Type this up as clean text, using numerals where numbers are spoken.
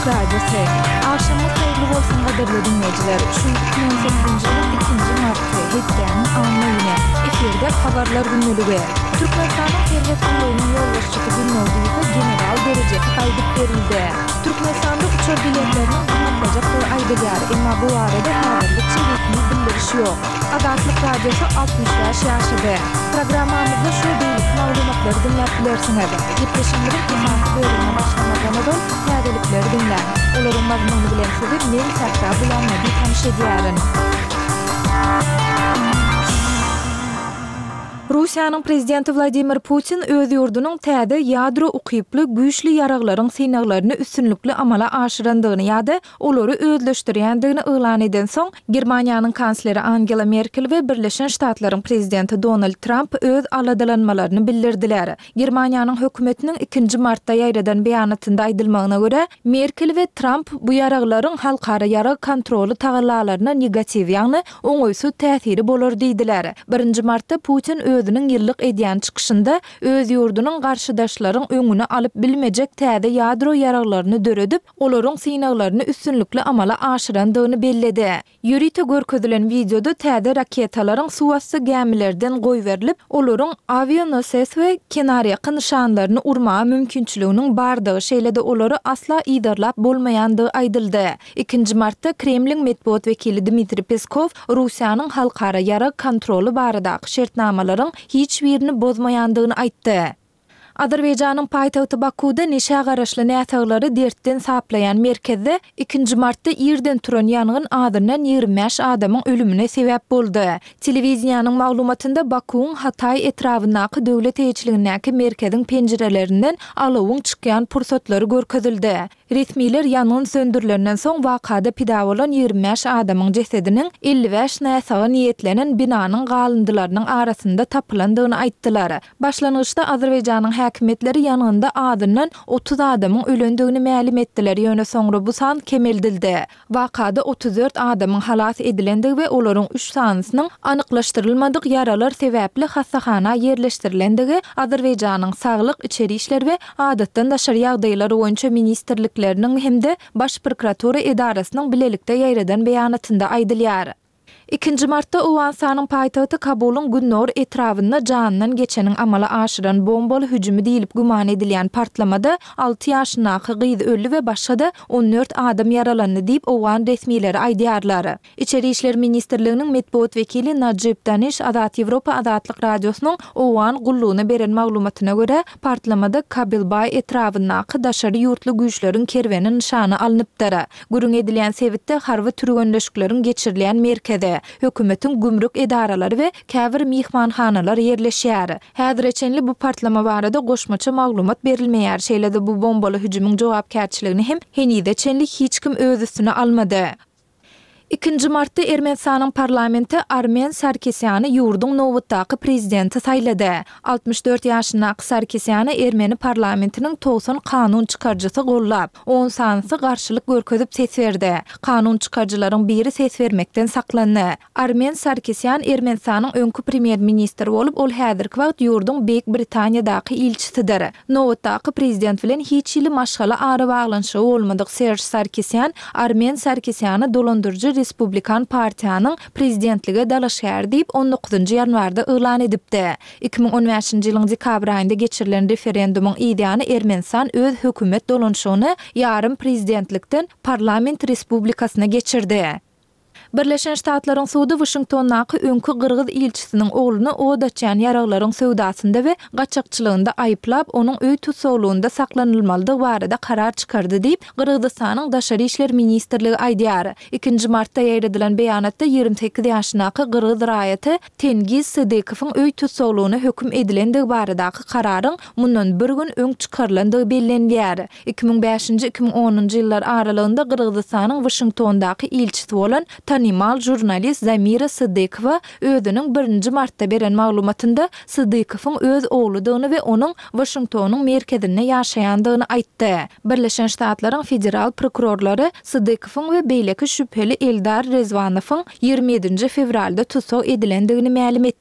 Radiosy. Agşamyňyz haýyrly bolsun gadyrly diňleýjiler! Şu gün 2018-nji ýylyň ikinji marty, hepdäniň anna güni. Efirde Habarlar gündeligi. Türkmenistanyň Serhet gullugynyň ýolbaşçysy Günnogdyýewe general derejesi gaýdyp berildi. Türkmenistanda uçar biletleriniň gymmatlajakdygy aýdylýar, emma bu barada häzirlikçe resmi bildiriş ýok. Azatlyk Radiosy 65 ýaşady. Programmamyzda şu we beýleki maglumatlary diňläp bilersiňiz. Gepleşigimiziň esasy bölümine başlamazdan ozal, täzelikleri diňläň. Olaryň mazmuny bilen sizi men Sähra Gulamnabi tanyş edýärin. Russiýanyň Prezidenti Wladimir Putin öz ýurdunyň täze ýadro ukyply güýçli ýaraglaryň synaglaryny üstünlikli amala aşyrandygyny ýa-da olary özleşdirýändigini yglan edensoň, Germaniýanyň kansleri Angela Merkel we Birleşen Ştatlaryň Prezidenti Donald Tramp öz aladalanmalaryny bildirdiler. Germaniýanyň hökümetiniň ikinji martda ýaýradan beýanatynda aýdylmagyna görä, Merkel we Tramp bu ýaraglaryň halkara ýarag kontroly tagallalaryna negatiw, ýagny oňaýsyz täsiri bolar diýdiler. Birinji martda Putin özüniň ýyllyk edýän çykyşynda öz ýurdunyň garşydaşlaryň öňüni alyp bilmejek täze ýadro ýaraglaryny döredip, olaryň synaglaryny üstünlikli amala aşyrandygyny belledi. Ýörite görkezilen wideoda täze raketalaryň suwasty gämilerden goýberilip, olaryň awianoses we kenarýaka nyşanlaryny urmaga mümkinçiliginiň bardygy, şeýle-de olary asla yzarlap bolmaýandygy aýdyldy. Ikinji martda Kremliň metbugat wekili Dmitriý Peskow Russiýanyň halkara ýarag kontroly baradaky şertnamalaryň hiç birini bozmaýandygyny aýtdy. Azerbaýjanyň paýtagty Bakuwda neşä garaşly näsaglary dertden saplaýan merkezde ikinji martda irden turan ýangyn azyndan 25 adamyň ölümine sebäp boldy. Telewideniýäniň maglumatynda Bakuwyň Hataý etrabyndaky döwlet eýeçiligindäki merkeziň penjirelerinden alawyň çykýan pursatlary görkezildi. Resmiler ýangyn söndürilenden soň wakada pida bolan 25 adamyň jesediniň 55 näsaga niýetlenen binanyň galyndylarynyň arasynda tapylandygyny aýtdylar. Başlangyçda Azerbaýjanyň häkimiýetleri ýangynda azyndan 30 adamyň ölendigini mälim etdiler, ýöne soňra bu san kemeldildi. Wakada 34 adamyň halas edilendigi we olaryň üç sanysynyň anyklaşdyrylmadyk ýaralar sebäpli hassahana ýerleşdirilendigi Azerbaýjanyň Saglyk, Içeri işler we Adatdan daşary ýagdaýlar boýunça ministrlikleriniň hem-de Baş prokuratura edarasynyň bilelikde ýaýradan beýanatynda aýdylýar. Ikinji martda Owganystanyň paýtagty Kabulyň gündogar etrabynda janyndan geçeniň amala aşyran bombaly hüjümi diýlip güman edilýän partlamada alty ýaşyndaky gyz öldi we başga-da 14 adam ýaralandy diýip, owgan resmileri aýdýarlar. Içeri işler ministrliginiň metbugat wekili Najib Daniş Azat Ýewropa Azatlyk Radiosynyň Owgan gullugyna beren maglumatyna görä, partlamada Kabilbaý etrabyndaky daşary ýurtly güýçleriň kerweni nyşana alnypdyr. Gürrüň edilýän sebitde harby türgenleşikleriň geçirilýän merkezi, hökümetiň gümrük edaralary we käbir myhmanhanalar ýerleşýär. Häzire çenli bu partlama barada goşmaça maglumat berilmeýär, şeýle-de bu bombaly hüjümiň jogapkärçiligini hem henize çenli hiç kim öz üstüne almady. Ikinji martda Ermenistanyň parlamenti Armen Sarkisýany ýurduň nobatdaky prezidenti saýlady. 64 ýaşyndaky Sarkisýany ermeni parlamentiniň 90 kanun çykaryjysy gollap, on sanysy garşylyk görkezip ses berdi. Kanun çykaryjylaryň biri ses bermekden saklandy. Armen Sarkisýan Ermenistanyň öňki premýer-ministri bolup, ol häzirki wagt ýurduň Beýik Britaniýadaky ilçisidir. Nobatdaky prezident bilen hiç hili maşgala arabaglanyşygy bolmadyk Serž Sarkisýan Armen Sarkisýany dolandyryjy Respublikan partiýanyň prezidentlige dalaşgäri diýip on dokuzynjy ýanwarda yglan edipdi. 2015-nji ýylyň dekabr aýynda geçirilen referendumyň yzýany Ermenistan öz hökümet dolanyşygyny ýarym prezidentlikden parlament respublikasyna geçirdi. Birleşen Ştatlaryň sudy Waşingtondaky öňki gyrgyz ilçisiniň ogluny od açýan ýaraglaryň söwdasynda we gaçakçylygynda aýyplap, onuň öý tussaglygynda saklanylmalydygy barada karar çykardy diýip, Gyrgyzystanyň Daşary işler ministrligi aýdýar. Ikinji martda ýaýradylan beýanatda 28 ýaşyndaky gyrgyz raýaty Tengiz Sydykowyň öý tussaglygyna höküm edilendigi baradaky kararyň mundan bir gün öň çykarylandygy bellenilýär. 2005-nji, 2010-njy ýyllar aralygynda Gyrgyzystanyň Waşingtondaky ilçisi bolan tanymal žurnalist Zamira Sydykowa özüniň birinji martda beren maglumatynda Sydykowyň öz ogludygyny we onuň Waşingtonyň merkezinde ýaşaýandygyny aýtdy. Birleşen Ştatlaryň federal prokurorlary Sydykowyň we beýleki şübheli Eldar Rezwanowyň 27-nji fewralda tussag edilendigini mälim etdiler.